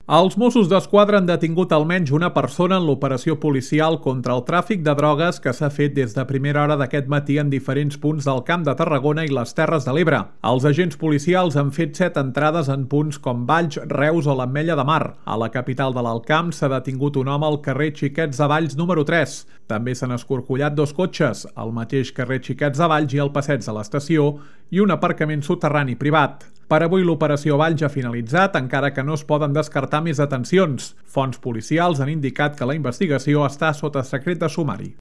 Els Mossos d'Esquadra han detingut almenys una persona en l'operació policial contra el tràfic de drogues que s'ha fet des de primera hora d'aquest matí en diferents punts del Camp de Tarragona i les Terres de l'Ebre. Els agents policials han fet 7 entrades en punts com Valls, Reus o l'Ametlla de Mar. A la capital de l'Alt Camp s'ha detingut un home al carrer Xiquets de Valls número 3. També s'han escorcollat 2 cotxes, al mateix carrer Xiquets de Valls i al passeig de l'estació, i un aparcament soterrani privat. Per avui l'operació Valls ha finalitzat, encara que no es poden descartar més detencions. Fonts policials han indicat que la investigació està sota secret de sumari.